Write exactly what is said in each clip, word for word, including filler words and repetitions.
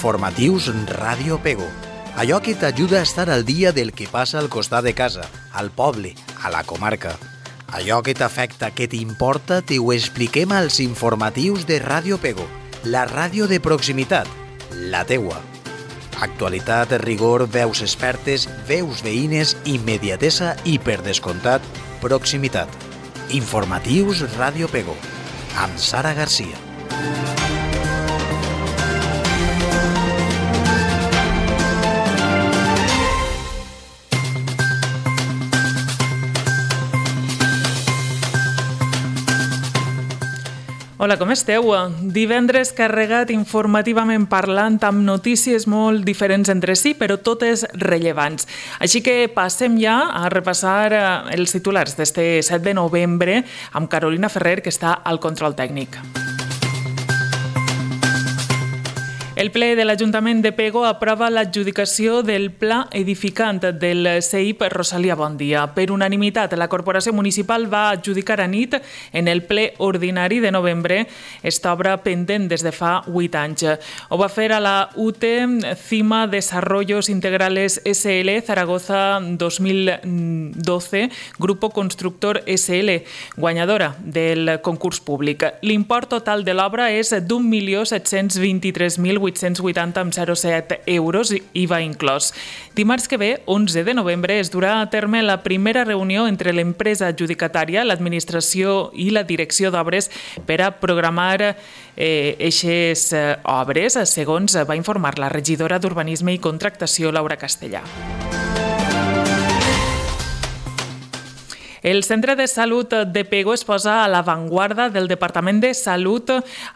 Informatius Ràdio Pego. Allò que t'ajuda a estar al dia del que passa al costat de casa, al poble, a la comarca. Allò que t'afecta, que t'importa, t'ho expliquem als informatius de Ràdio Pego, la ràdio de proximitat, la teua. Actualitat, rigor, veus expertes, veus veïnes, immediatesa i, per descomptat, proximitat. Informatius Ràdio Pego, amb Sara Garcia. Hola, com esteu? Divendres carregat informativament parlant amb notícies molt diferents entre si, però totes rellevants. Així que passem ja a repassar els titulars d'este set de novembre amb Carolina Ferrer, que està al control tècnic. El ple de l'Ajuntament de Pego aprova l'adjudicació del pla edificant del C I P Rosalia Bondia. Per unanimitat, la Corporació Municipal va adjudicar a nit en el ple ordinari de novembre esta obra pendent des de fa vuit anys. Ho va fer a la U T Cima Desarrollos Integrales S L Zaragoza dos mil doce, Grupo Constructor S L, guanyadora del concurs públic. L'import total de l'obra és d'un milió set-cents vint-i-tres mil vuit-cents vuitanta coma zero set euros, I V A inclòs. Dimarts que ve, onze de novembre, es durà a terme la primera reunió entre l'empresa adjudicatària, l'administració i la direcció d'obres per a programar eixes eh, obres, segons va informar la regidora d'Urbanisme i Contractació, Laura Castellà. El Centre de Salut de Pego es posa a l'avantguarda del Departament de Salut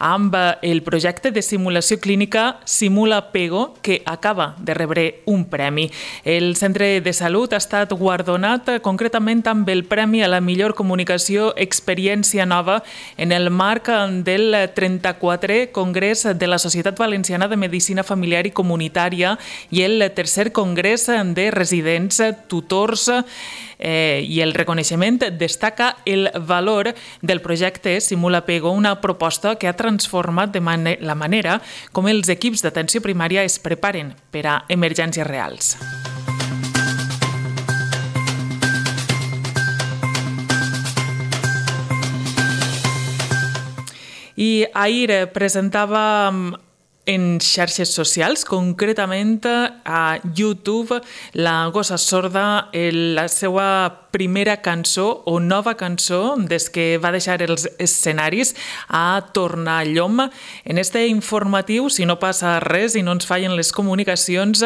amb el projecte de simulació clínica Simula Pego, que acaba de rebre un premi. El Centre de Salut ha estat guardonat concretament amb el Premi a la millor comunicació Experiència Nova en el marc del trenta-quatrè Congrés de la Societat Valenciana de Medicina Familiar i Comunitària i el tercer Congrés de Residents, Tutors eh, i el reconeixement destaca el valor del projecte Simula Pego, una proposta que ha transformat de man- la manera com els equips d'atenció primària es preparen per a emergències reals. I ahir presentava en xarxes socials, concretament a YouTube, la Gossa Sorda, la seva primera cançó o nova cançó des que va deixar els escenaris a Tornallom. En este informatiu, si no passa res i no ens fallen les comunicacions,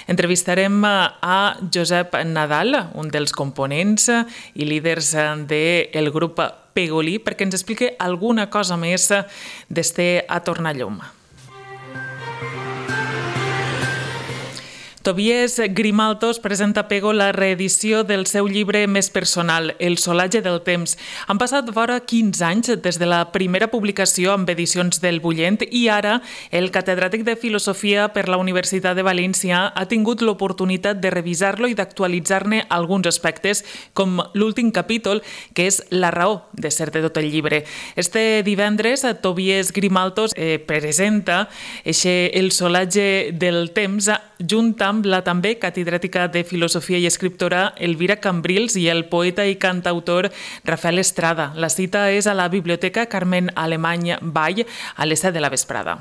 entrevistarem a Josep Nadal, un dels components i líders del grup Pegolí, perquè ens expliqui alguna cosa més d'este a Tornallom. Tobias Grimaltos presenta a Pego la reedició del seu llibre més personal, El solatge del temps. Han passat vora quinze anys des de la primera publicació amb edicions del Bullent i ara el catedràtic de Filosofia per la Universitat de València ha tingut l'oportunitat de revisar-lo i d'actualitzar-ne alguns aspectes, com l'últim capítol, que és la raó de ser de tot el llibre. Este divendres, Tobias Grimaltos eh, presenta eixe El solatge del temps junt amb la també catedràtica de Filosofia i escriptora Elvira Cambrils i el poeta i cantautor Rafael Estrada. La cita és a la Biblioteca Carmen Alemany Vall a les set de la vesprada.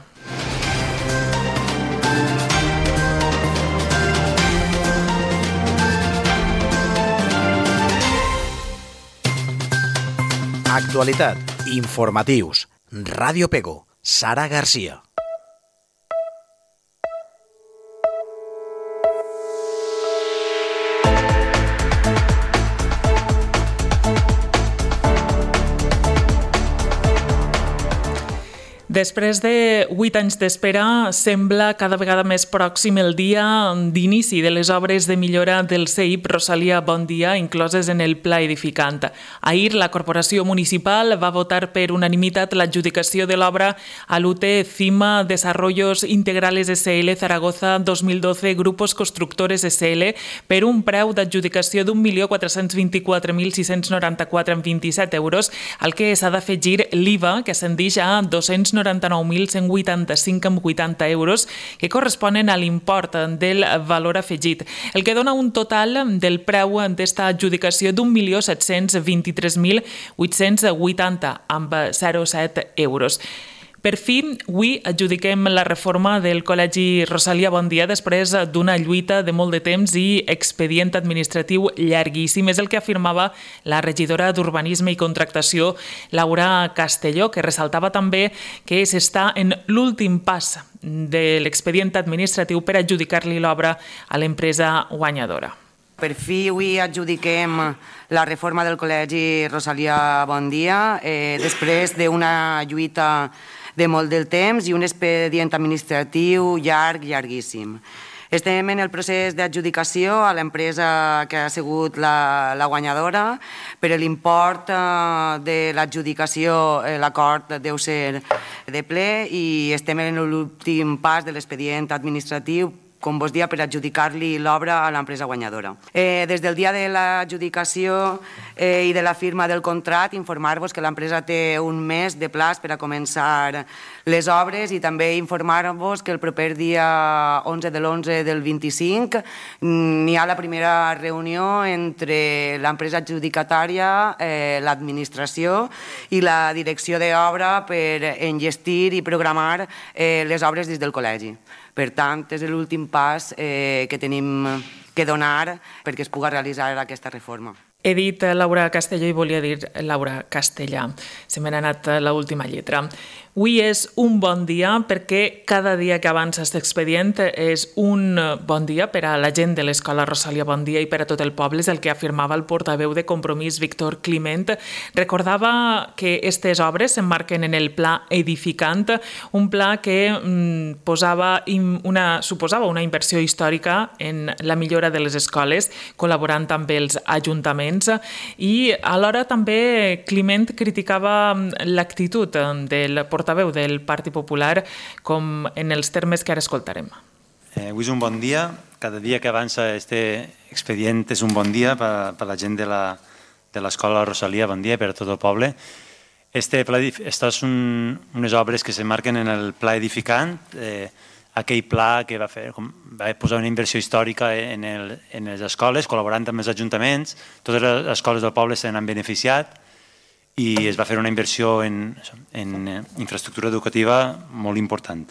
Actualitat, informatius, Ràdio Pego, Sara Garcia. Després de vuit anys d'espera, sembla cada vegada més pròxim el dia d'inici de les obres de millora del C I P Rosalia Bondia incloses en el pla edificant. Ahir, la Corporació Municipal va votar per unanimitat l'adjudicació de l'obra a l'U T Cima Desarrollos Integrales S L Zaragoza dos mil doce Grupos Constructores S L per un preu d'adjudicació d'un milió quatre-cents vint-i-quatre mil sis-cents noranta-quatre coma vint-i-set euros, al que s'ha d'afegir l'I V A, que ascendeix a dos-cents noranta noranta-nou mil cent vuitanta-cinc coma vuitanta euros, que corresponen a l'import del valor afegit, el que dona un total del preu d'esta adjudicació d'un milió set-cents vint-i-tres mil vuit-cents vuitanta amb zero coma set euros. Per fi, avui adjudiquem la reforma del Col·legi Rosalía Bondia després d'una lluita de molt de temps i expedient administratiu llarguíssim. És el que afirmava la regidora d'Urbanisme i Contractació, Laura Castelló, que ressaltava també que s'està en l'últim pas de l'expedient administratiu per adjudicar-li l'obra a l'empresa guanyadora. Per fi avui adjudiquem la reforma del Col·legi Rosalía Bondia eh, després d'una lluita de molt del temps i un expedient administratiu llarg, llarguíssim. Estem en el procés d'adjudicació a l'empresa que ha sigut la, la guanyadora, però l'import eh, de l'adjudicació, eh, l'acord deu ser de ple i estem en l'últim pas de l'expedient administratiu, com vos dia, per adjudicar-li l'obra a l'empresa guanyadora. Eh, des del dia de l'adjudicació eh, i de la firma del contracte, informar-vos que l'empresa té un mes de plaç per a començar les obres i també informar-vos que el proper dia onze de l'onze del vint-i-cinc n'hi ha la primera reunió entre l'empresa adjudicatària, eh, l'administració i la direcció d'obra per enllestir i programar eh, les obres des del col·legi. Per tant, és l'últim pas eh, que tenim que donar perquè es pugui realitzar aquesta reforma. He dit Laura Castelló i volia dir Laura Castellà. Se me n'ha anat l'última lletra. Avui és un bon dia perquè cada dia que avança aquest expedient és un bon dia per a la gent de l'Escola Rosalía Bondia i per a tot el poble, és el que afirmava el portaveu de Compromís, Víctor Climent. Recordava que aquestes obres s'emmarquen en el Pla Edificant, un pla que mm, posava una, suposava una inversió històrica en la millora de les escoles, col·laborant amb els ajuntaments, i alhora també Climent criticava l'actitud del portaveu del Partit Popular, com en els termes que ara escoltarem. Eh, avui és un bon dia, cada dia que avança este expedient és un bon dia per, per la gent de l'Escola Rosalía Bondia i per a tot el poble. Este pla, estas són unes obres que s'emmarquen en el Pla Edificant, eh, aquell pla que va, fer, va posar una inversió històrica en, el, en les escoles, col·laborant amb els ajuntaments. Totes les escoles del poble se n'han beneficiat i es va fer una inversió en, en infraestructura educativa molt important.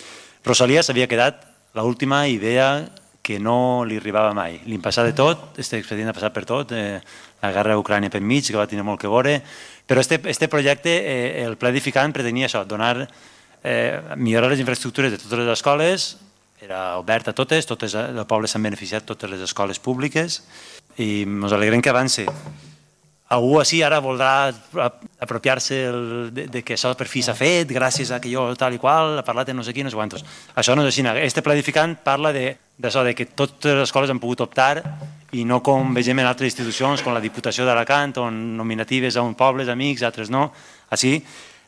Rosalía s'havia quedat l'última idea que no li arribava mai. Li passava de tot, aquest expedient ha passat per tot, eh, la guerra a Ucrània per mig, que va tenir molt que veure, però este, este projecte, eh, el Pla Edificant, pretenia això, donar Eh, millorar les infraestructures de totes les escoles, era obert a totes, totes el poble s'han beneficiat, totes les escoles públiques, i ens alegrem que avance. Algú així ara voldrà apropiar-se de, de que això per fi s'ha fet, gràcies a que jo tal i qual, ha parlat de no sé qui, no sé quantos. Això no és així. Este Pla Edificant parla d'això, de, de que totes les escoles han pogut optar i no com vegem en altres institucions, com la Diputació d'Alacant, on nominatives a uns pobles, amics, altres no. Així,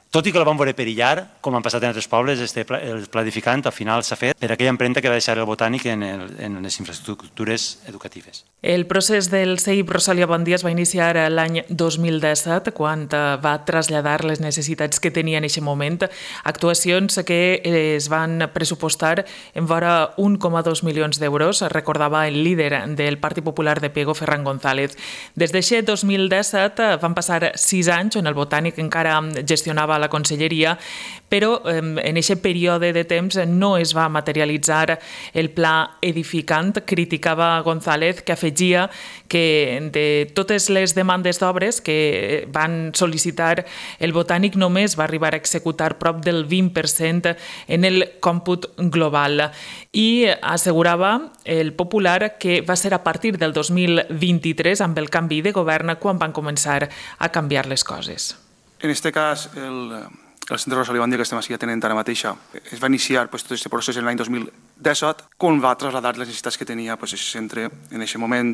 tot i que la vam veure perillar, com han passat en altres pobles, este pla, el Pla Edificant al final s'ha fet per aquella empremta que va deixar el Botànic en, el, en les infraestructures educatives. El procés del C I P Rosalía Bondia es va iniciar l'any dos mil disset, quan va traslladar les necessitats que tenia en aquest moment, actuacions que es van pressupostar en vora un coma dos milions d'euros, recordava el líder del Partit Popular de Pego, Ferran González. Des d'aquest dos mil disset van passar sis anys on el Botànic encara gestionava la conselleria, però en aquest període de temps no es va materialitzar el Pla Edificant. Criticava González, que afegia que de totes les demandes d'obres que van sol·licitar el Botànic només va arribar a executar prop del vint per cent en el còmput global. I assegurava el Popular que va ser a partir del dos mil vint-i-tres, amb el canvi de govern, quan van començar a canviar les coses. En aquest cas, el, el Centre Rosalía Bondia que estem així atenent ara mateixa es va iniciar pues, tot aquest procés en l'any dos mil disset, quan va traslladar les necessitats que tenia pues, aquest centre en aquest moment,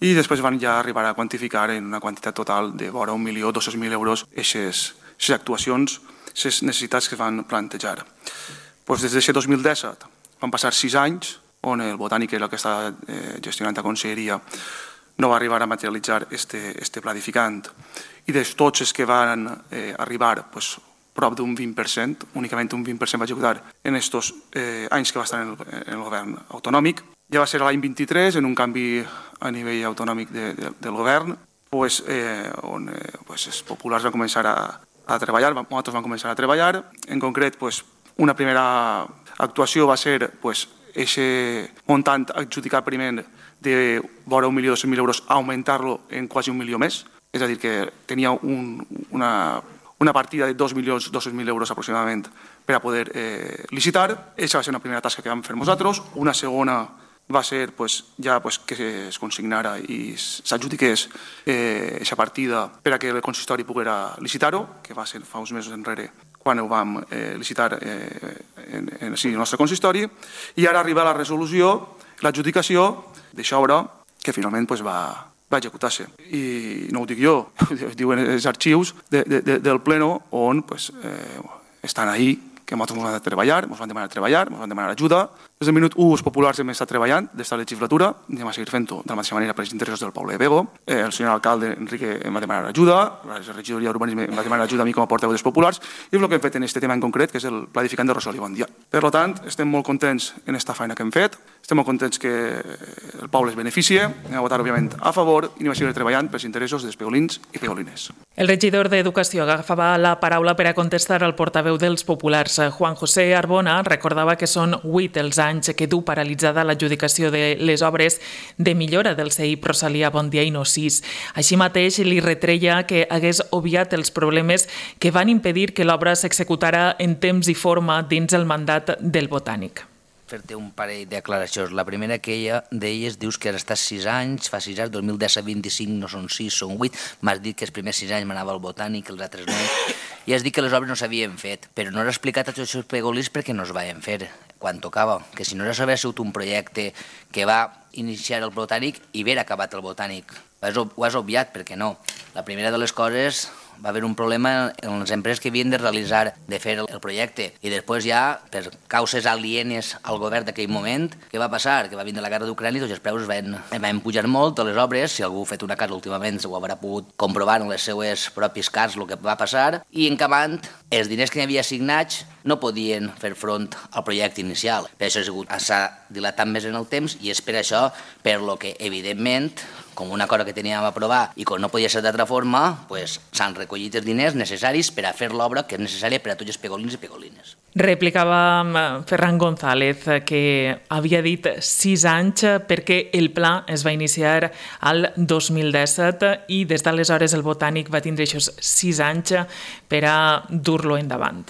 i després van ja arribar a quantificar en una quantitat total de vora un milió dos-cents mil euros aquestes actuacions, aquestes necessitats que es van plantejar. Pues, des d'aquest dos mil disset van passar sis anys on el Botànic, el que està eh, gestionant la conselleria, no va arribar a materialitzar este, este Pla Edificant. I de tots els que van eh, arribar pues, prop d'un vint per cent, únicament un vint per cent va executar en aquests eh, anys que va estar en el, en el govern autonòmic. Ja va ser l'any vint-i-tres, en un canvi a nivell autonòmic de, de, del govern, pues, eh, on eh, pues, els populars van començar a, a treballar, nosaltres vam començar a treballar. En concret, pues, una primera actuació va ser pues, ese montant adjudicat primer de vora un milió dos-cents mil euros, augmentar-lo en quasi un milió més, és a dir, que tenia un, una, una partida de dos milions dos-cents mil euros aproximadament per a poder eh, licitar. Aquesta va ser una primera tasca que vam fer nosaltres. Una segona va ser pues, ja pues, que es consignara i s'adjudiqués aquesta eh, partida per a que el consistori poguera licitar-ho, que va ser fa uns mesos enrere quan ho vam eh, licitar eh, en, en, en el nostre consistori, i ara arriba la resolució, l'adjudicació d'aquesta obra que finalment pues, va, va executar-se. I no ho dic jo, ho diuen els arxius de, de, de, del Pleno on pues, eh, estan ahí, que nosaltres ens vam treballar, ens van demanar treballar, ens van demanar ajuda. Des del minut u els populars hem estat treballant d'esta legislatura, anem a seguir fent-ho de la mateixa manera per als interessos del poble de Pego. Eh, el senyor alcalde Enrique em va demanar ajuda, la regidoria d'urbanisme em va demanar ajuda a mi com a portaveu dels populars, i és el que hem fet en aquest tema en concret, que és el pla edificant de Rosalía Bondia. Per tant, estem molt contents en aquesta feina que hem fet, estem molt contents que el poble es beneficie, anem a votar, òbviament, a favor, i anem a seguir treballant pels interessos dels pegolins i pegolines. El regidor d'Educació agafava la paraula per a contestar al portaveu dels populars. Juan José Arbona recordava que són vuit els anys que du paralitzada l'adjudicació de les obres de millora del C I P Rosalía Bondia i no sis. Així mateix li retreia que hagués obviat els problemes que van impedir que l'obra s'executara en temps i forma dins el mandat del Botànic. Fer-te un parell de declaracions. La primera que ella d'elles dius que has estat sis anys, fa sis anys, dos mil disset vint-i-cinc no són sis, són vuit. M'has dit que els primers sis anys m'anava al Botànic, els altres no. I has dit que les obres no s'havien fet, però no has explicat a tots els pegolins perquè no es van fer quan tocava. Que si no hagués sigut un projecte que va iniciar el Botànic i haver acabat el Botànic. Ho has obviat, perquè no. La primera de les coses, va haver un problema en les empreses que havien de realitzar, de fer el projecte. I després ja, per causes alienes al govern d'aquell moment, què va passar? Que va vindre la guerra d'Ucrània i tots els preus van, van pujar molt a les obres. Si algú ha fet una casa últimament ho haurà pogut comprovar en les seues pròpies cases el que va passar. I en acabant, els diners que n'hi havia assignats no podien fer front al projecte inicial. Per això s'ha dilatat més en el temps i és per això per lo que, evidentment, com una cosa que teníem a aprovar i com no podia ser d'altra forma, s'han recollit els diners necessaris per a fer l'obra que és necessària per a tots els pegolins i pegolines. Replicava Ferran González que havia dit sis anys perquè el pla es va iniciar al dos mil disset i des d'aleshores el Botànic va tindre aquests sis anys per a dur-lo endavant.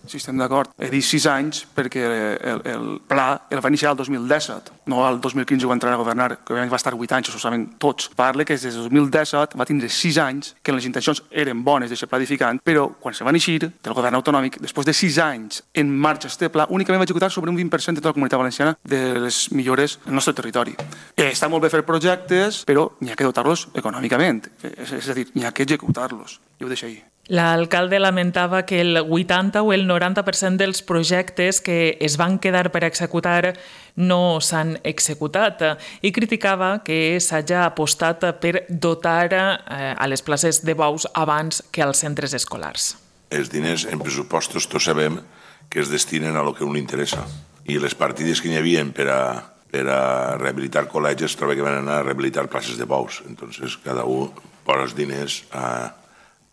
Sí, estem d'acord. He dit sis anys perquè el, el pla el va iniciar el dos mil disset, no el dos mil quinze quan entrarà a governar, que va estar vuit anys, això ho saben tots. Parle que des del dos mil disset va tindre sis anys, que les intencions eren bones d'aquest pla edificant, però quan se va iniciar del govern autonòmic, després de sis anys en marxa este pla, únicament va executar sobre un vint per cent de tota la comunitat valenciana de les millores del nostre territori. Està molt bé fer projectes, però n'hi ha que dotar-los econòmicament, és a dir, n'hi ha que executar-los. I ho deixo ahí. L'alcalde lamentava que el vuitanta o el noranta per cent dels projectes que es van quedar per executar no s'han executat i criticava que s'hagi apostat per dotar a les places de bous abans que als centres escolars. Els diners en pressupostos tots sabem que es destinen a lo que a un li interessa i les partides que n'hi havia per a per a rehabilitar col·legis trobo que van anar a rehabilitar places de bous. Entonces cada un posa els diners a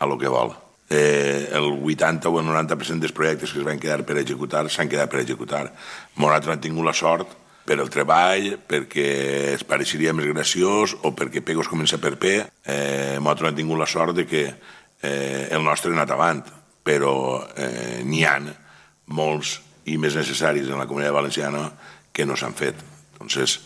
a lo que vol. Eh, el vuitanta o el noranta per cent dels projectes que es van quedar per executar s'han quedat per executar. Nosaltres hem tingut la sort per el treball, perquè es pareixeria més graciós o perquè Pego es comença per P. Eh, nosaltres hem tingut la sort de que eh, el nostre ha anat avant, però eh, n'hi ha molts i més necessaris en la comunitat valenciana que no s'han fet. Entonces,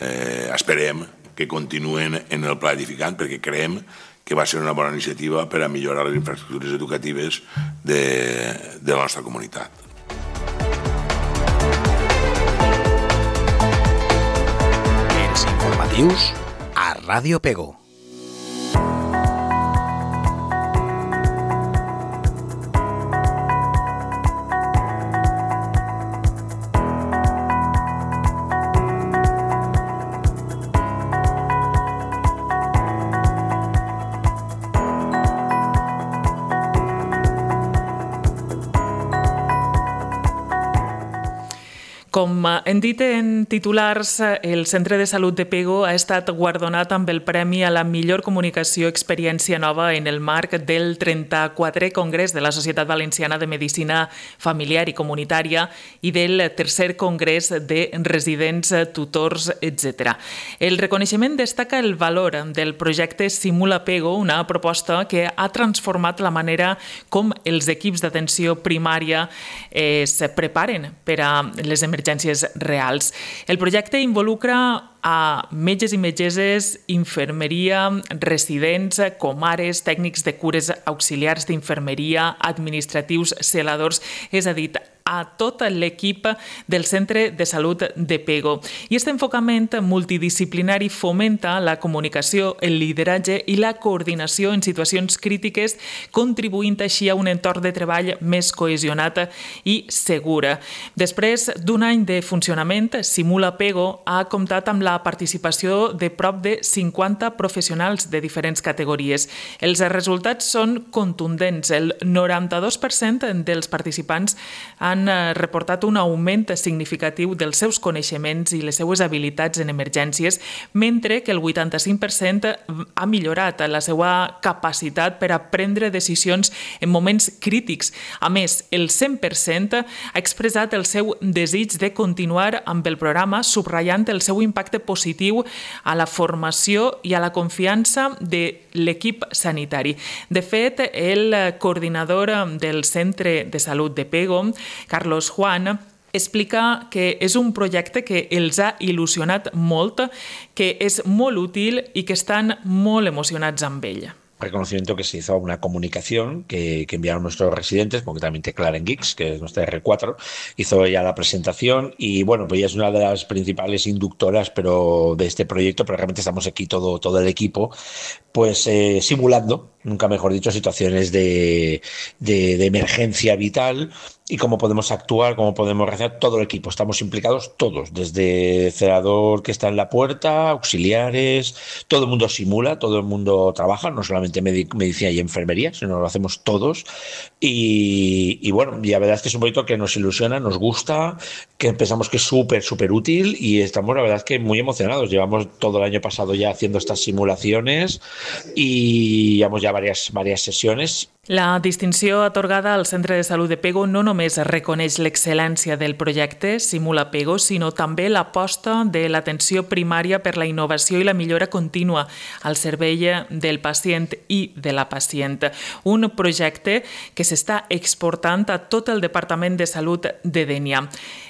eh, esperem que continuen en el pla edificant perquè creiem que va ser una bona iniciativa per a millorar les infraestructures educatives de, de la nostra comunitat. Els informatius a Ràdio Pego. Com hem dit en titulars, el Centre de Salut de Pego ha estat guardonat amb el Premi a la millor comunicació experiència nova en el marc del trenta-quatrè Congrés de la Societat Valenciana de Medicina Familiar i Comunitària i del tercer Congrés de Residents, Tutors, etcètera. El reconeixement destaca el valor del projecte Simula Pego, una proposta que ha transformat la manera com els equips d'atenció primària es preparen per a les emergències reals. El projecte involucra a metges i metgesses, infermeria, residents, comares, tècnics de cures auxiliars d'infermeria, administratius, celadors, és a dir, a tot l'equip del Centre de Salut de Pego. I aquest enfocament multidisciplinari fomenta la comunicació, el lideratge i la coordinació en situacions crítiques, contribuint així a un entorn de treball més cohesionat i segur. Després d'un any de funcionament, Simula Pego ha comptat amb la participació de prop de cinquanta professionals de diferents categories. Els resultats són contundents. El noranta-dos per cent dels participants han reportat un augment significatiu dels seus coneixements i les seues habilitats en emergències, mentre que el vuitanta-cinc per cent ha millorat la seva capacitat per a prendre decisions en moments crítics. A més, el cent per cent ha expressat el seu desig de continuar amb el programa, subratllant el seu impacte positiu a la formació i a la confiança de l'equip sanitari. De fet, el coordinador del Centre de Salut de Pego, Carlos Juan, explica que és un projecte que els ha il·lusionat molt, que és molt útil i que estan molt emocionats amb ell. Reconocimiento que se hizo a una comunicación que, que enviaron nuestros residentes, concretamente Claren Geeks, que es nuestra erre cuatro, hizo ella la presentación y bueno, pues ella es una de las principales inductoras pero de este proyecto, pero realmente estamos aquí todo, todo el equipo, pues eh, simulando, nunca mejor dicho, situaciones de, de, de emergencia vital y cómo podemos actuar, cómo podemos reaccionar, todo el equipo, estamos implicados todos, desde celador que está en la puerta, auxiliares, todo el mundo simula, todo el mundo trabaja, no solamente medic- medicina y enfermería, sino lo hacemos todos y, y bueno, y la verdad es que es un proyecto que nos ilusiona, nos gusta, que pensamos que es súper, súper útil y estamos la verdad es que muy emocionados, llevamos todo el año pasado ya haciendo estas simulaciones y llevamos ya varias, varias sesiones. La distinció atorgada al Centre de Salut de Pego no només reconeix l'excel·lència del projecte Simula Pego, sinó també l'aposta de l'atenció primària per la innovació i la millora contínua al servei del pacient i de la pacient. Un projecte que s'està exportant a tot el Departament de Salut de Dénia.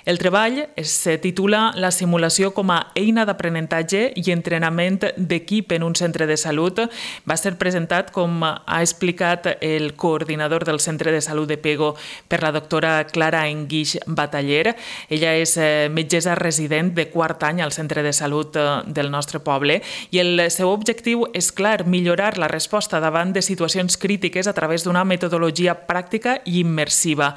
El treball es titula La simulació com a eina d'aprenentatge i entrenament d'equip en un centre de salut. Va ser presentat, com ha explicat el coordinador del Centre de Salut de Pego, per la doctora Clara Enguix Bataller. Ella és metgessa resident de quart any al Centre de Salut del nostre poble i el seu objectiu és clar, millorar la resposta davant de situacions crítiques a través d'una metodologia pràctica i immersiva.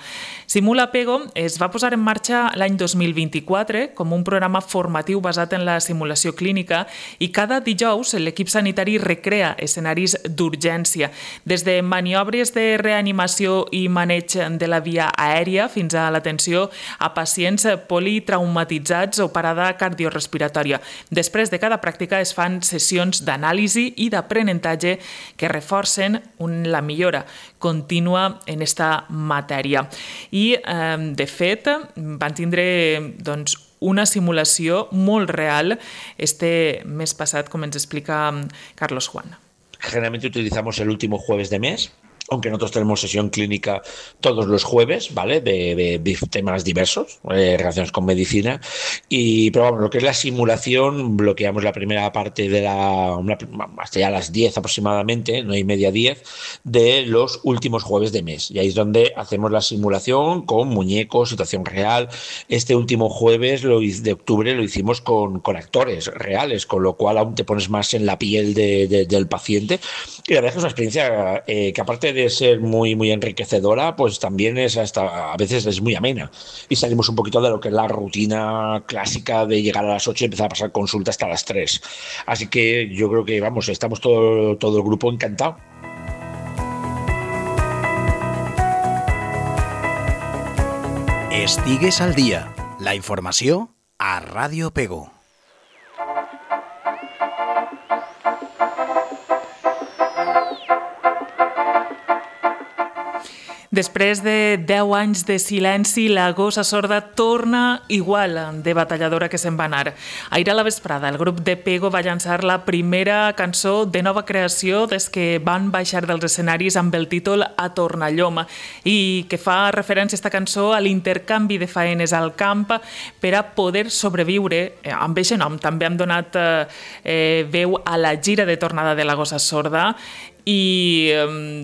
Simula Pego es va posar en marxa l'any dos mil vint-i-quatre com un programa formatiu basat en la simulació clínica i cada dijous l'equip sanitari recrea escenaris d'urgència, des de maniobres de reanimació i maneig de la via aèria fins a l'atenció a pacients politraumatitzats o parada cardiorespiratòria. Després de cada pràctica es fan sessions d'anàlisi i d'aprenentatge que reforcen la millora contínua en esta matèria. I, de fet, van tindre doncs, una simulació molt real este mes passat, com ens explica Carlos Juan. Generalmente utilizamos el último jueves de mes, aunque nosotros tenemos sesión clínica todos los jueves, ¿vale? De, de, de temas diversos, eh, relacionados con medicina. Y, pero vamos, lo que es la simulación, bloqueamos la primera parte de la, una, hasta ya las diez aproximadamente, nueve y media, diez, de los últimos jueves de mes. Y ahí es donde hacemos la simulación con muñecos, situación real. Este último jueves lo, de octubre lo hicimos con, con actores reales, con lo cual aún te pones más en la piel de, de, del paciente. Y la verdad es que es una experiencia eh, que aparte de de ser muy, muy enriquecedora, pues también es hasta a veces es muy amena. Y salimos un poquito de lo que es la rutina clásica de llegar a las ocho y empezar a pasar consulta hasta las tres. Así que yo creo que, vamos, estamos todo, todo el grupo encantado. Estigues al dia. La informació a Ràdio Pego. Després de deu anys de silenci, la gossa sorda torna igual de batalladora que se'n va anar. Ahir a la vesprada, el grup de Pego va llançar la primera cançó de nova creació des que van baixar dels escenaris amb el títol A Tornallom, i que fa referència a esta cançó a l'intercanvi de faenes al camp per a poder sobreviure. Amb aquest nom també hem donat eh, veu a la gira de tornada de la gossa sorda, i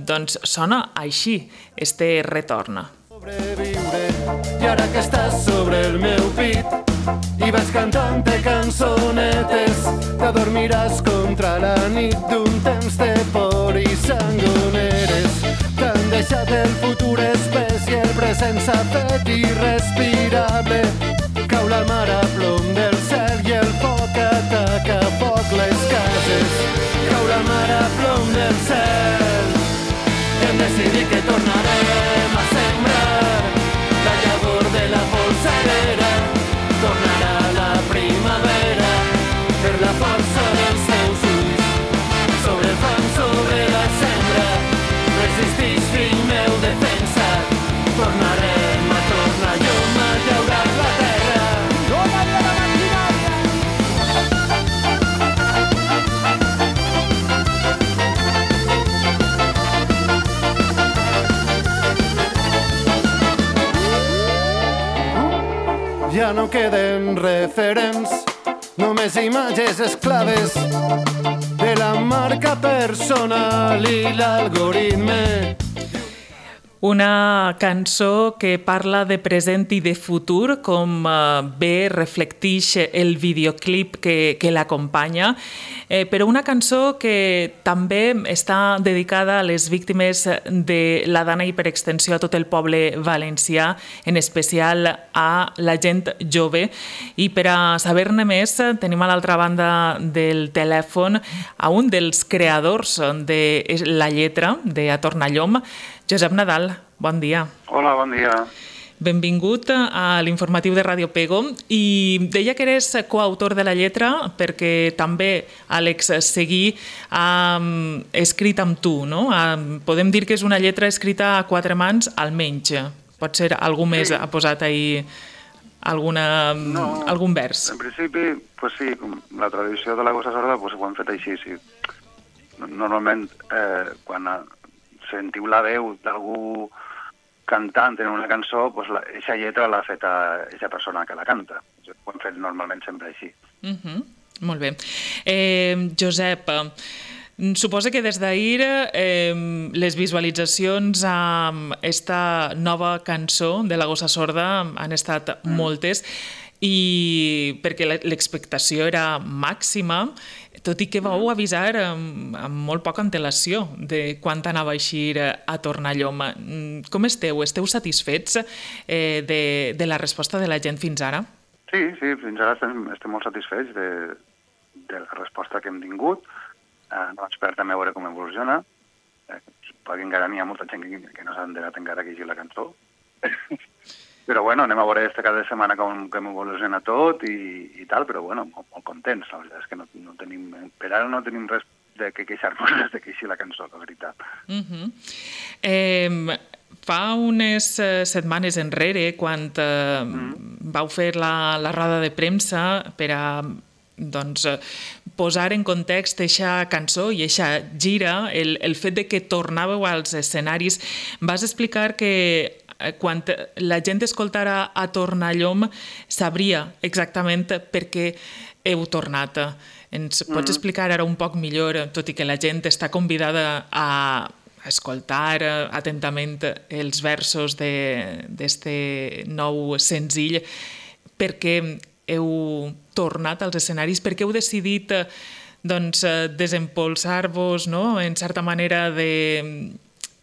doncs sona així, este retorn. Sobreviure, i ara que estàs sobre el meu pit i vas cantant-te cançonetes, t'adormiràs contra la nit d'un temps de por i sangoneres. T'han deixat el futur espès i el present s'ha fet irrespirable. Cau la mar a plom del cel i el foc ataca a foc les cases. Cau la mar a plom del cel. Hem decidit que tornarem a sembrar la llavor de la polsera. Tornarà la primavera per la força dels teus ulls. Sobre el fang, sobre la sembra, resistix, fill meu, defensa. Tornarem a tornar llum a llaurar la terra. Tornarà la maquinària. Ja no queden referents, només imatges esclaves de la marca personal i l'algoritme. Una cançó que parla de present i de futur, com bé reflecteix el videoclip que, que l'acompanya, eh, però una cançó que també està dedicada a les víctimes de la dana i per extensió a tot el poble valencià, en especial a la gent jove. I per a saber-ne més tenim a l'altra banda del telèfon a un dels creadors de la lletra de A Tornallom, Josep Nadal, bon dia. Hola, bon dia. Benvingut a l'informatiu de Ràdio Pego, i deia que eres coautor de la lletra perquè també Àlex Seguí ha escrit amb tu, no? Podem dir que és una lletra escrita a quatre mans, almenys. Pot ser algú més ha posat ahir alguna, no, algun vers. En principi, pues sí, la tradició de la gossa sorda pues, ho hem fet així, sí. Normalment, eh, quan sentiu la veu d'algú cantant en una cançó, doncs aquesta lletra l'ha fet aquesta persona que la canta. Ho hem fet normalment sempre així. Uh -huh. Molt bé. Eh, Josep, suposa que des d'ahir eh, les visualitzacions amb esta nova cançó de la gossa sorda han estat mm. moltes, i perquè l'expectació era màxima, tot i que vau avisar amb, amb molt poca antelació de quan anava a eixir A Tornallom. Com esteu? Esteu satisfets eh, de, de la resposta de la gent fins ara? Sí, sí, fins ara estem, estem molt satisfets de, de la resposta que hem tingut. Eh, no esperem també veure com evoluciona. Eh, suposo que encara n'hi ha molta gent que, que no s'ha enterat encara que llegir la cançó. Però bueno, anem a veure aquesta cada setmana com, com evoluciona tot i, i tal, però bueno, molt, molt contents. La veritat és que no, no tenim, per ara no tenim res de que queixar-nos de que així la cançó, la veritat. Uh -huh. eh, fa unes setmanes enrere, quan eh, mm. vau fer la, la roda de premsa per a doncs, posar en context eixa cançó i eixa gira, el, el fet de que tornàveu als escenaris, vas explicar que quan la gent escoltara A Tornallom sabria exactament per què heu tornat. Ens pots explicar ara un poc millor, tot i que la gent està convidada a escoltar atentament els versos d'este nou senzill, per què heu tornat als escenaris, per què heu decidit doncs, desempolsar-vos, no? En certa manera de,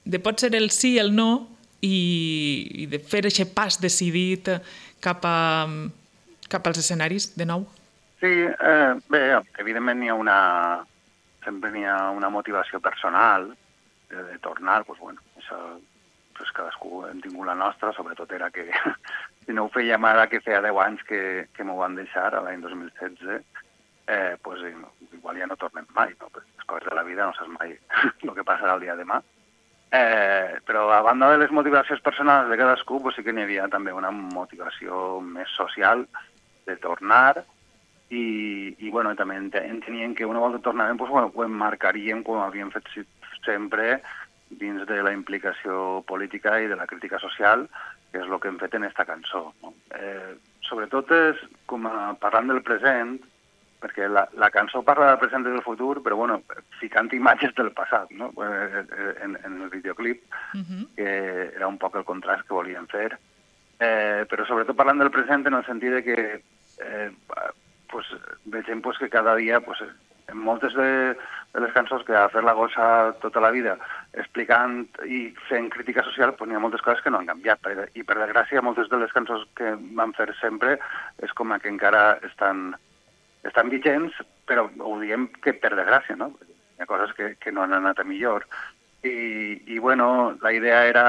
de pot ser el sí, el no, i, i de fer aquest pas decidit cap, a, cap als escenaris de nou? Sí, eh, bé, evidentment hi ha una, sempre hi ha una motivació personal de, de tornar, doncs bueno, això, pues cadascú hem tingut la nostra, sobretot era que si no ho fèiem ara, que feia deu anys que, que m'ho van deixar, a l'any dos mil setze, eh, pues, igual ja no tornem mai, no? Les coses de la vida no saps mai el que passarà el dia de demà. Eh, però a banda de les motivacions personals de cadascú, pues, sí que n'hi havia també una motivació més social de tornar i, i bueno, també entenien que una volta tornàvem pues, bueno, ho emmarcaríem com havíem fet sempre dins de la implicació política i de la crítica social, que és el que hem fet en aquesta cançó. No? Eh, sobretot és com a, parlant del present, perquè la, la cançó parla del present i del futur, però bueno, ficant imatges del passat, no? en, en el videoclip, uh-huh. que era un poc el contrast que volíem fer, eh, però sobretot parlant del present en el sentit de que eh, pues, vegem pues, que cada dia, pues, en moltes de, de les cançons que ha fet la Gossa tota la vida, explicant i fent crítica social, pues, n'hi ha moltes coses que no han canviat, i per desgràcia moltes de les cançons que van fer sempre és com que encara estan estan vigents, però ho diem que per desgràcia, no? Hi ha coses que, que no han anat a millor. I, i bueno, la idea era,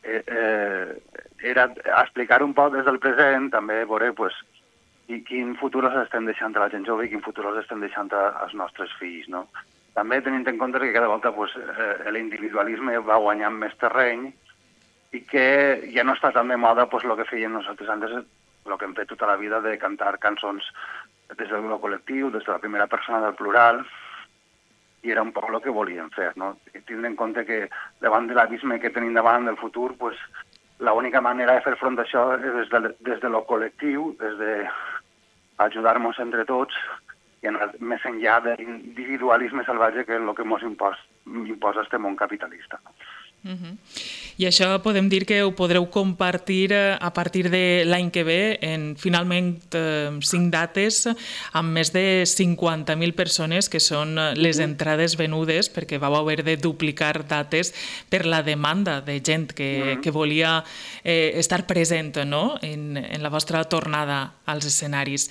eh, eh, era explicar un poc des del present, també veure pues, i quin futur els estem deixant a la gent jove i quin futur els estem deixant als nostres fills, no? També tenint en compte que cada volta pues, eh, l'individualisme va guanyant més terreny i que ja no està tan de moda pues, el que fèiem nosaltres antes, el que hem fet tota la vida de cantar cançons des del col·lectiu, des de la primera persona del plural, i era un poc el que volíem fer, no? Tindre en compte que davant de l'abisme que tenim davant del futur, pues, l'única manera de fer front a això és des de, des de lo col·lectiu, des de ajudar-nos entre tots i anar més enllà de l'individualisme salvatge que és el que ens imposa, imposa este món capitalista. Uh-huh. I això podem dir que ho podreu compartir a partir de l'any que ve en finalment eh, cinc dates amb més de cinquanta mil persones que són les entrades venudes perquè vau haver de duplicar dates per la demanda de gent que, uh-huh. que volia eh, estar present, no? en, en la vostra tornada als escenaris.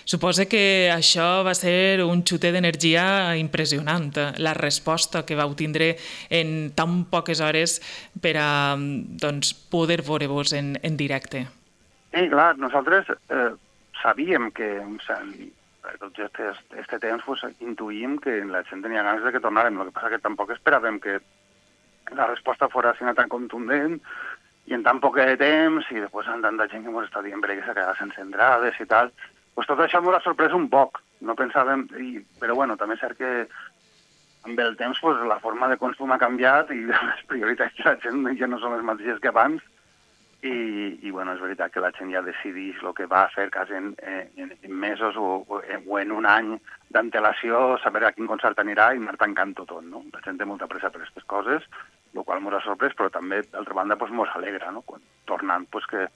Suposo que això va ser un xutet d'energia impressionant, la resposta que vau tindre en tan poques hores per a doncs, poder veure-vos en, en directe. Sí, clar, nosaltres eh, sabíem que en tot aquest temps pues, intuïm que la gent tenia ganes de que tornàrem, el que passa que tampoc esperàvem que la resposta fos tan contundent i en tan poc de temps i després amb tanta gent que ens està dient que s'ha quedat sense entrades i tal. Pues tot això m'ha sorprès un poc, no pensàvem, i, però bueno, també és cert que amb el temps pues, la forma de consum ha canviat i les prioritats de la gent ja no són les mateixes que abans i, i bueno, és veritat que la gent ja decideix el que va fer quasi en, en, en mesos o, o en un any d'antelació, saber a quin concert anirà i anar tancant tot, no? La gent té molta pressa per aquestes coses, el qual ens ha sorprès, però també, d'altra banda, pues, ens alegra, no? Quan, tornant, pues, que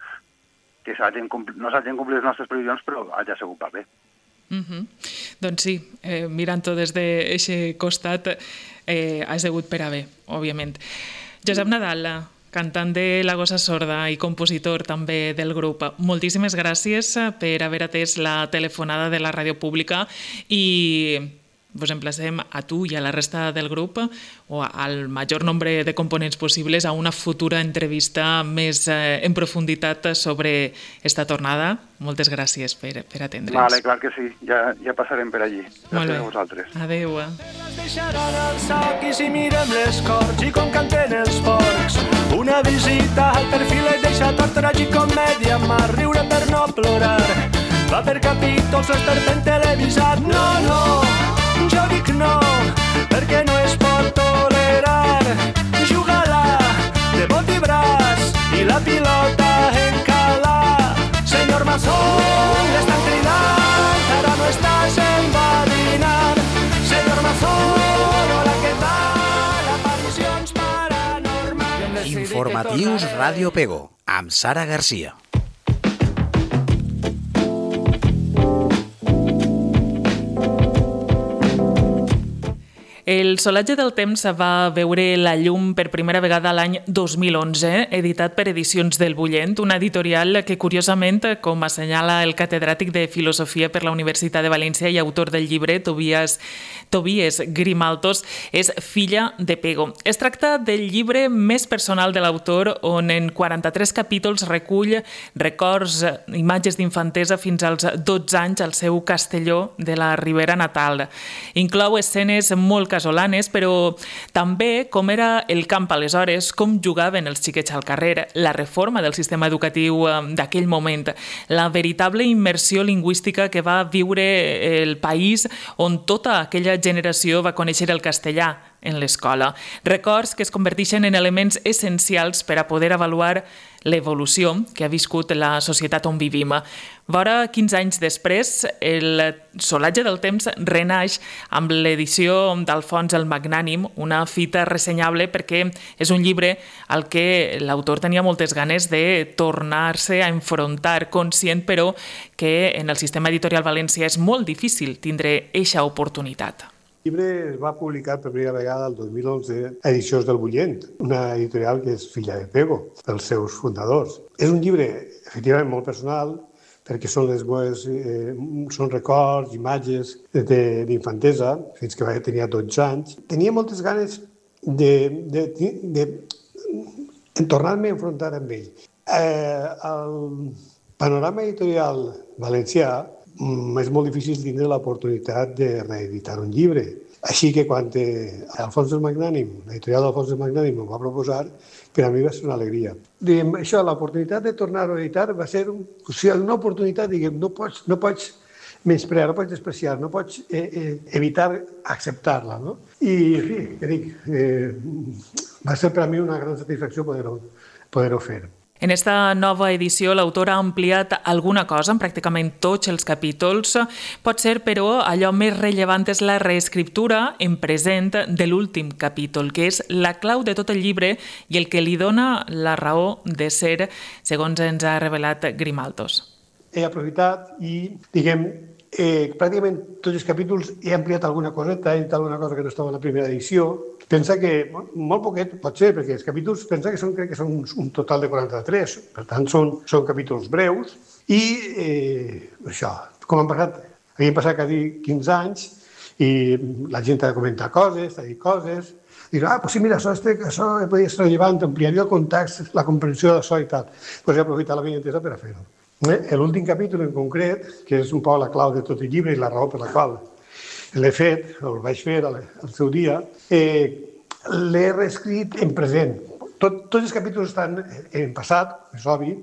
que compl- no s'hagin complit les nostres previsions, però hagi sigut per bé. Uh-huh. Doncs sí, eh, mirant-ho des d'aquest costat, eh, ha sigut per a bé, òbviament. Josep Nadal, cantant de La Gossa Sorda i compositor també del grup, moltíssimes gràcies per haver atès la telefonada de la ràdio pública i vos emplacem a tu i a la resta del grup o al major nombre de components possibles a una futura entrevista més eh, en profunditat sobre esta tornada. Moltes gràcies per, per atendre'ns. Vale, clar que sí, ja, ja passarem per allí. Gràcies a vosaltres. Adéu. Les deixaran al sac i si mirem les corts i com canten els porcs. Una visita al perfil et deixa tot tragicomèdia, mà riure per no plorar. Va per capítols l'esperpent televisat. No, no, jo dic no, perquè no es pot tolerar. Juga-la de bot i braç i la pilota en cala. Senyor Mason, l'estan cridant, ara no estàs enverinant. Senyor Mason, hola, què tal? Aparicions paranormals. Informatius Ràdio Pego, amb Sara Garcia. El Solatge del temps va veure la llum per primera vegada l'any dos mil onze, editat per Edicions del Bullent, una editorial que, curiosament, com assenyala el catedràtic de Filosofia per la Universitat de València i autor del llibre, Tobias, Tobias Grimaltos, és filla de Pego. Es tracta del llibre més personal de l'autor, on en quaranta-tres capítols recull records, imatges d'infantesa fins als dotze anys al seu Castelló de la Ribera natal. Inclou escenes molt casolanes, però també com era el camp aleshores, com jugaven els xiquets al carrer, la reforma del sistema educatiu d'aquell moment, la veritable immersió lingüística que va viure el país on tota aquella generació va conèixer el castellà en l'escola. Records que es converteixen en elements essencials per a poder avaluar l'evolució que ha viscut la societat on vivim. Vora quinze anys després, el Solatge del temps renaix amb l'edició d'Alfons el Magnànim, una fita ressenyable perquè és un llibre al que l'autor tenia moltes ganes de tornar-se a enfrontar, conscient però que en el sistema editorial valencià és molt difícil tindre eixa oportunitat. El llibre es va publicar per primera vegada el dos mil onze a Edicions del Bullent, una editorial que és filla de Pego, dels seus fundadors. És un llibre, efectivament, molt personal, perquè són les meves, eh, són records, imatges d'infantesa, fins que tenia dotze anys. Tenia moltes ganes de, de, de, de tornar-me a enfrontar amb ell. Eh, el panorama editorial valencià és molt difícil tindre l'oportunitat de reeditar un llibre. Així que quan Alfons el Magnànim, l'editorial d'Alfons el Magnànim, m'ho va proposar, per a mi va ser una alegria. Diguem, això, l'oportunitat de tornar-ho a editar va ser un, o sigui, una oportunitat, diguem, no pots, no pots menysprear, no pots despreciar, no pots eh, eh, evitar acceptar-la, no? I, en fi, què dic, eh, va ser per a mi una gran satisfacció poder-ho poder-ho fer. En esta nova edició, l'autor ha ampliat alguna cosa en pràcticament tots els capítols. Pot ser, però, allò més rellevant és la reescriptura en present de l'últim capítol, que és la clau de tot el llibre i el que li dona la raó de ser, segons ens ha revelat Grimaltos. He aprofitat i, diguem, eh, pràcticament tots els capítols he ampliat alguna coseta, he dit alguna cosa que no estava en la primera edició. Pensa que, molt poquet pot ser, perquè els capítols, pensa que són, crec que són un total de quaranta-tres, per tant són, són capítols breus, i eh, això, com han passat, havien passat quasi quinze anys, i la gent ha de comentar coses, ha de dir coses, dir, ah, pues sí, mira, això, este, això podria ser rellevant, ampliaria el context, la comprensió d'això i tal. Doncs he aprofitat la meva entesa per a fer-ho. Eh? L'últim capítol en concret, que és un poc la clau de tot el llibre i la raó per la qual l'he fet, o el vaig fer al seu dia, eh, l'he reescrit en present. Tot, tots els capítols estan en passat, és obvi,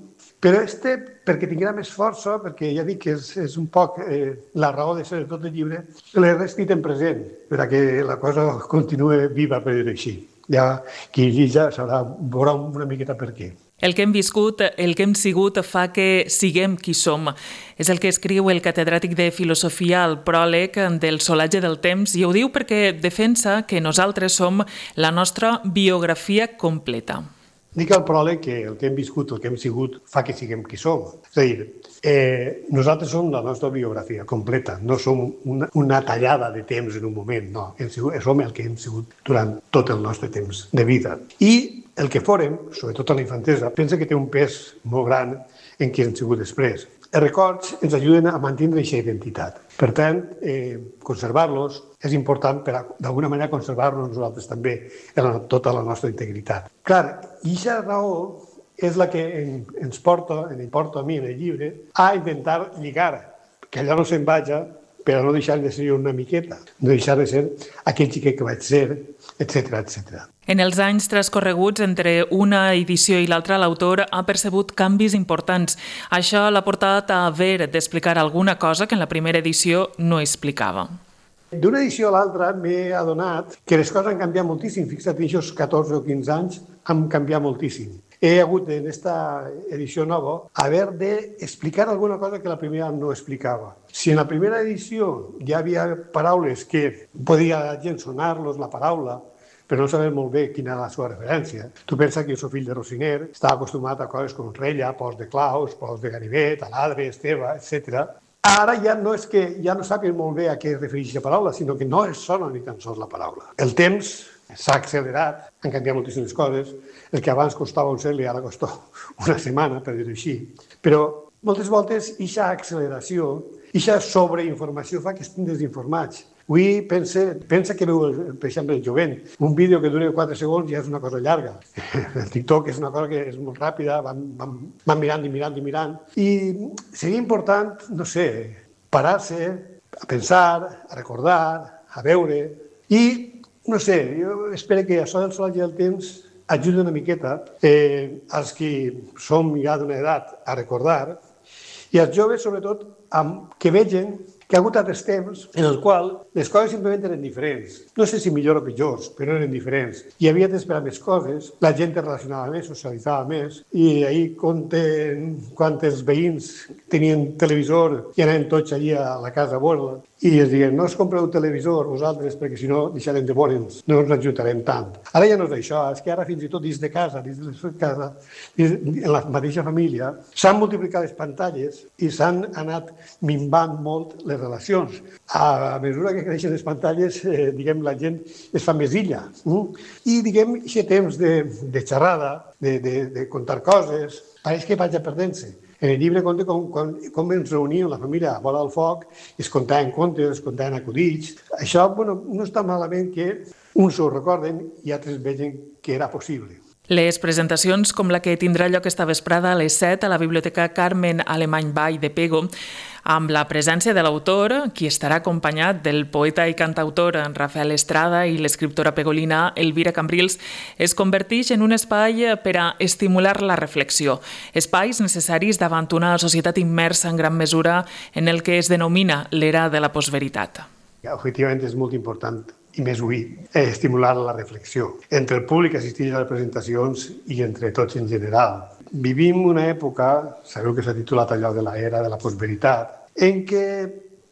però este, perquè tinguera més força, perquè ja dic que és, és un poc eh, la raó de ser de tot el llibre, l'he reescrit en present, perquè la cosa continue viva, per dir-ho així. Ja qui ja sabrà, veurà una miqueta per què. El que hem viscut, el que hem sigut, fa que siguem qui som. És el que escriu el catedràtic de Filosofia al pròleg del Solatge del temps, i ho diu perquè defensa que nosaltres som la nostra biografia completa. Dic al pròleg que el que hem viscut, el que hem sigut, fa que siguem qui som. És a dir, eh, nosaltres som la nostra biografia completa, no som una, una tallada de temps en un moment, no. Hem sigut, som el que hem sigut durant tot el nostre temps de vida. I el que fórem, sobretot a la infantesa, pensa que té un pes molt gran en qui hem sigut després. Els records ens ajuden a mantenir aquesta identitat. Per tant, eh, conservar-los és important per, d'alguna manera, conservar-nos nosaltres també en tota la nostra integritat. Clar, i aquesta raó és la que ens porta, ens porta a mi en el llibre, a intentar lligar, que allò no se'n vaja, per a no deixar de ser una miqueta, no deixar de ser aquell xiquet que vaig ser, etcètera, etcètera. En els anys transcorreguts entre una edició i l'altra, l'autor ha percebut canvis importants. Això l'ha portat a haver d'explicar alguna cosa que en la primera edició no explicava. D'una edició a l'altra m'he adonat que les coses han canviat moltíssim. Fixa't, en aquests catorze o quinze anys han canviat moltíssim. He hagut en aquesta edició nova haver d'explicar alguna cosa que la primera no explicava. Si en la primera edició ja havia paraules que podia la gent sonar-los la paraula, però no saber molt bé quina era la seva referència. Tu pensa que jo soc fill de Rosiner, estava acostumat a coses com rella, pols de claus, pols de ganivet, aladre, esteve, etcètera. Ara ja no és que ja no sàpiguen molt bé a què es refereix la paraula, sinó que no es sona ni tan sols la paraula. El temps s'ha accelerat, han canviat moltíssimes coses, el que abans costava un segle ara costa una setmana, per dir-ho així. Però moltes voltes aquesta acceleració, aquesta sobreinformació fa que estem desinformats. Avui pensa, pensa que veu, per exemple, el jovent, un vídeo que dura quatre segons ja és una cosa llarga. El TikTok és una cosa que és molt ràpida, van, van, van mirant i mirant i mirant. I seria important, no sé, parar-se, a pensar, a recordar, a veure. I, no sé, jo espero que això del solatge del temps ajudi una miqueta eh, als que som ja d'una edat a recordar i als joves, sobretot, amb, que vegin que ha hagut altres temps en el qual les coses simplement eren diferents. No sé si millor o pitjors, però eren diferents. Hi havia d'esperar més coses, la gent es relacionava més, socialitzava més, i ahir compten quan els veïns tenien televisor i anaven tots allí a la casa a veure-la, i es diuen, no us compreu televisor vosaltres perquè si no deixarem de veure'ns, no ens ajudarem tant. Ara ja no és això, és que ara fins i tot dins de casa, dins de casa, dins, en la mateixa família, s'han multiplicat les pantalles i s'han anat minvant molt les relacions. A mesura que creixen les pantalles, eh, diguem, la gent es fa més illa. Mm? I, diguem, aquest temps de, de xerrada, de, de, de contar coses, pareix que vaig a perdent-se. En el llibre conta com, com, com ens reuníem la família a vora del foc, es contaven contes, es contaven acudits. Això, bueno, no està malament que uns ho recorden i altres vegin que era possible. Les presentacions, com la que tindrà lloc esta vesprada a les set a la Biblioteca Carmen Alemany Vall de Pego, amb la presència de l'autor, qui estarà acompanyat del poeta i cantautor Rafael Estrada i l'escriptora pegolina Elvira Cambrils, es converteix en un espai per a estimular la reflexió. Espais necessaris davant una societat immersa en gran mesura en el que es denomina l'era de la postveritat. Efectivament és molt important i més avui, eh, estimular la reflexió entre el públic que assisteix a les presentacions i entre tots en general. Vivim una època, sabeu que s'ha titulat allò de l'era de la postveritat, en què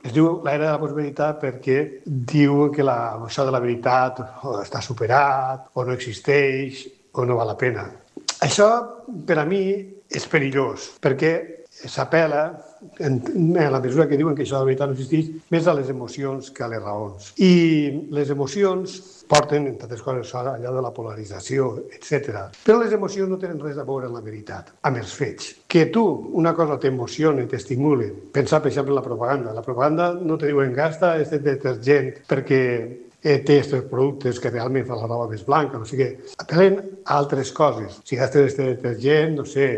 es diu l'era de la postveritat perquè diuen que la, això de la veritat o està superat, o no existeix, o no val la pena. Això, per a mi, és perillós, perquè s'apel·la, en la mesura que diuen que això de la veritat no existeix, més a les emocions que a les raons. I les emocions porten, entre altres coses, allò de la polarització, etcètera. Però les emocions no tenen res a veure amb la veritat, amb els fets. Que tu, una cosa t'emociona, t'estimula, pensar, per exemple, en la propaganda. La propaganda no te diuen gasta aquest detergent perquè té aquests productes que realment fan la roba més blanca, no sé què. Apel·len a altres coses. Si gastes aquest detergent, no sé,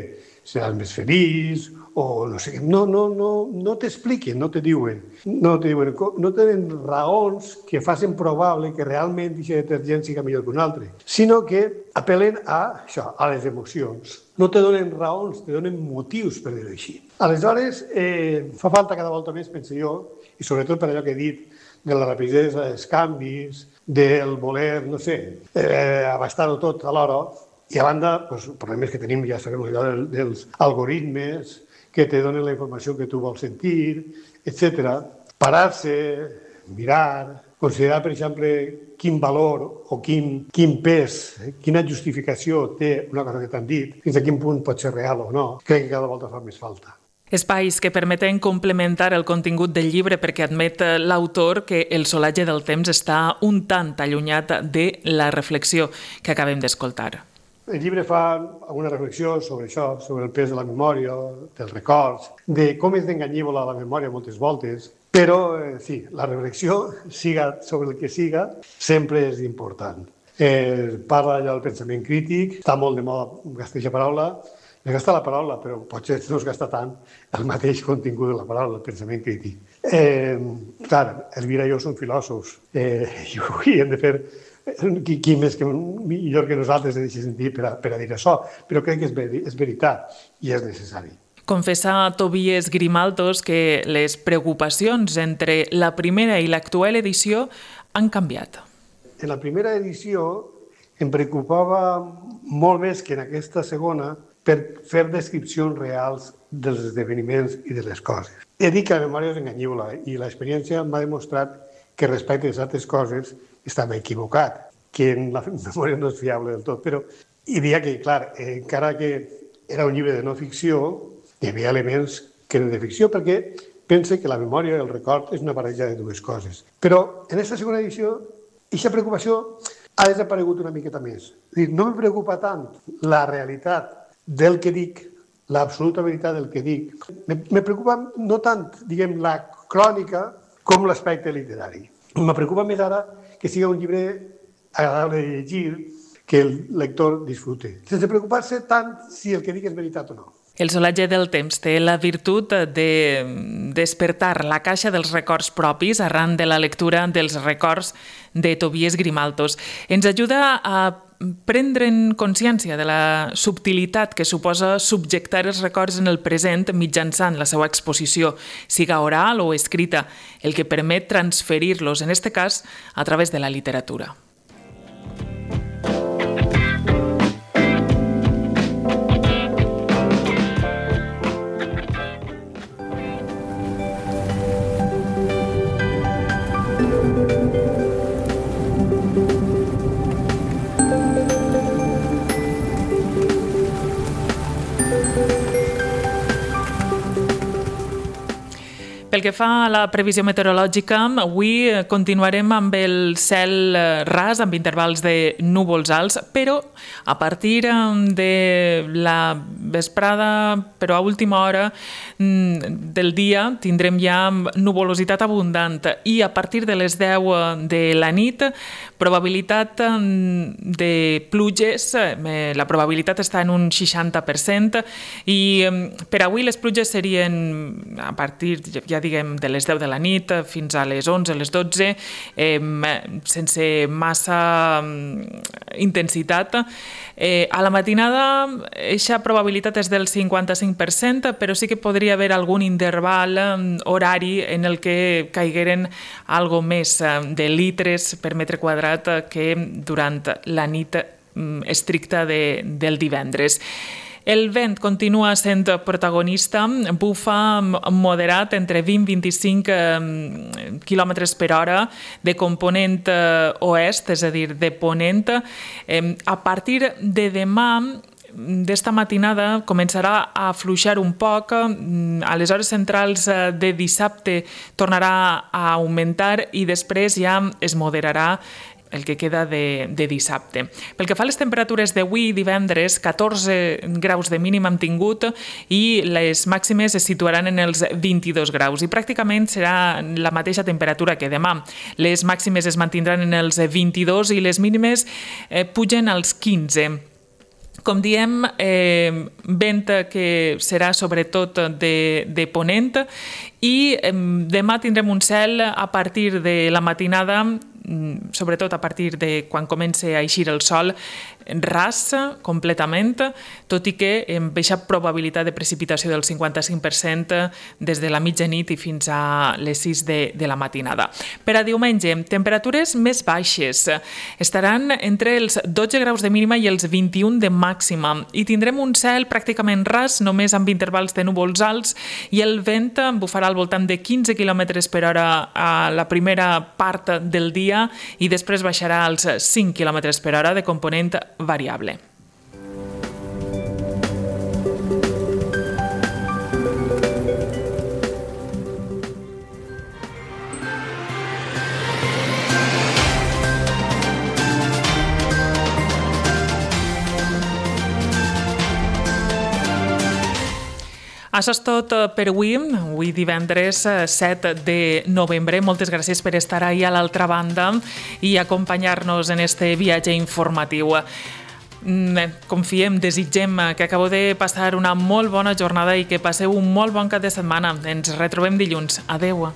seràs més feliç, o no sé què. No, no, no, no t'expliquen, no te diuen. No te diuen, no tenen raons que facin probable que realment aquest detergent siga millor que un altre, sinó que apel·len a això, a les emocions. No te donen raons, te donen motius, per dir-ho així. Aleshores, eh, fa falta cada volta més, penso jo, i sobretot per allò que he dit, de la rapidesa dels canvis, del voler, no sé, eh, abastar-ho tot alhora, i a banda, doncs, els problemes que tenim, ja sabem, allò dels algoritmes, que te donen la informació que tu vols sentir, etcètera. Parar-se, mirar, considerar, per exemple, quin valor o quin, quin pes, eh, quina justificació té una cosa que t'han dit, fins a quin punt pot ser real o no, crec que cada volta fa més falta. Espais que permeten complementar el contingut del llibre perquè admet l'autor que el solatge del temps està un tant allunyat de la reflexió que acabem d'escoltar. El llibre fa alguna reflexió sobre això, sobre el pes de la memòria, dels records, de com és d'enganyible la memòria moltes voltes, però eh, sí, la reflexió, siga sobre el que siga, sempre és important. Eh, parla allò del pensament crític, està molt de moda gastar aquesta paraula, es gasta la paraula, però potser no es gasta tant el mateix contingut de la paraula, el pensament crític. Eh, clar, Elvira i jo som filòsofs, eh, i avui hem de fer Qui, qui més que millor que nosaltres de deixar sentir per a, per a dir això, però crec que és, ver, és veritat i és necessari. Confessa Tobias Grimaldos que les preocupacions entre la primera i l'actual edició han canviat. En la primera edició em preocupava molt més que en aquesta segona per fer descripcions reals dels esdeveniments i de les coses. He dit que la memòria és enganyible i l'experiència m'ha demostrat que respecte a certes coses estava equivocat, que la memòria no és fiable del tot, però hi havia que, clar, encara que era un llibre de no ficció, hi havia elements que eren de ficció, perquè pense que la memòria i el record és una barreja de dues coses. Però en aquesta segona edició, aquesta preocupació ha desaparegut una miqueta més. És dir, no me preocupa tant la realitat del que dic, l'absoluta veritat del que dic. Me, me preocupa no tant, diguem, la crònica com l'aspecte literari. Me preocupa més ara que sigui un llibre agradable de llegir, que el lector disfrute, sense preocupar-se tant si el que dic és veritat o no. El solatge del temps té la virtut de despertar la caixa dels records propis arran de la lectura dels records de Tobias Grimaltos. Ens ajuda a prendre'n consciència de la subtilitat que suposa subjectar els records en el present mitjançant la seva exposició, siga oral o escrita, el que permet transferir-los, en aquest cas, a través de la literatura. Pel que fa a la previsió meteorològica, avui continuarem amb el cel ras, amb intervals de núvols alts, però a partir de la vesprada, però a última hora del dia, tindrem ja nuvolositat abundant i a partir de les deu de la nit, probabilitat de pluges, la probabilitat està en un seixanta per cent i per avui les pluges serien a partir, ja diguem, de les deu de la nit fins a les onze, les dotze, eh, sense massa intensitat. Eh, a la matinada, aquesta probabilitat és del cinquanta-cinc per cent, però sí que podria haver algun interval horari en el que caigueren algo més de litres per metre quadrat que durant la nit estricta de, del divendres. El vent continua sent protagonista, bufa moderat entre vint i vint-i-cinc quilòmetres per hora de component oest, és a dir, de ponent. A partir de demà, d'esta matinada, començarà a afluixar un poc, a les hores centrals de dissabte tornarà a augmentar i després ja es moderarà el que queda de, de dissabte. Pel que fa a les temperatures d'avui, divendres, catorze graus de mínim hem tingut i les màximes es situaran en els vint-i-dos graus i pràcticament serà la mateixa temperatura que demà. Les màximes es mantindran en els vint-i-dos i les mínimes eh, pugen als quinze. Com diem, eh, vent que serà sobretot de, de ponent i eh, demà tindrem un cel a partir de la matinada, sobretot a partir de quan comença a eixir el sol, ras completament, tot i que amb aquesta probabilitat de precipitació del cinquanta-cinc per cent des de la mitjanit i fins a les sis de, de la matinada. Per a diumenge, temperatures més baixes. Estaran entre els dotze graus de mínima i els vint-i-un de màxima i tindrem un cel pràcticament ras, només amb intervals de núvols alts i el vent bufarà al voltant de quinze quilòmetres per hora a la primera part del dia i després baixarà als cinc quilòmetres per hora de component variable. Això és tot per avui, avui divendres set de novembre. Moltes gràcies per estar ahí a l'altra banda i acompanyar-nos en este viatge informatiu. Confiem, desitgem que acabeu de passar una molt bona jornada i que passeu un molt bon cap de setmana. Ens retrobem dilluns. Adeu.